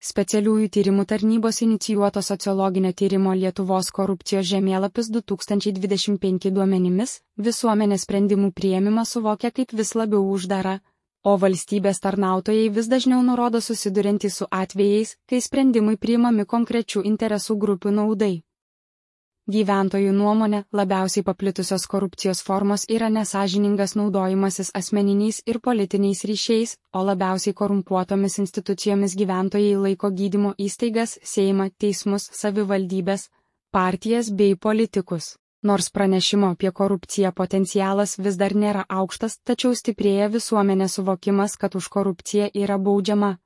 Specialiųjų tyrimų tarnybos inicijuoto sociologinio tyrimo Lietuvos korupcijos žemėlapis 2025 duomenimis, visuomenės sprendimų priėmimą suvokia kaip vis labiau uždarą, o valstybės tarnautojai vis dažniau nurodo susiduriantys su atvejais, kai sprendimai priimami konkrečių interesų grupių naudai. Gyventojų nuomonė, labiausiai paplitusios korupcijos formos yra nesąžiningas naudojimasis asmeniniais ir politiniais ryšiais, o labiausiai korumpuotomis institucijomis gyventojai laiko gydymo įstaigas, Seimą, teismus, savivaldybės, partijas bei politikus. Nors pranešimo apie korupciją potencialas vis dar nėra aukštas, tačiau stiprėja visuomenės suvokimas, kad už korupciją yra baudžiama.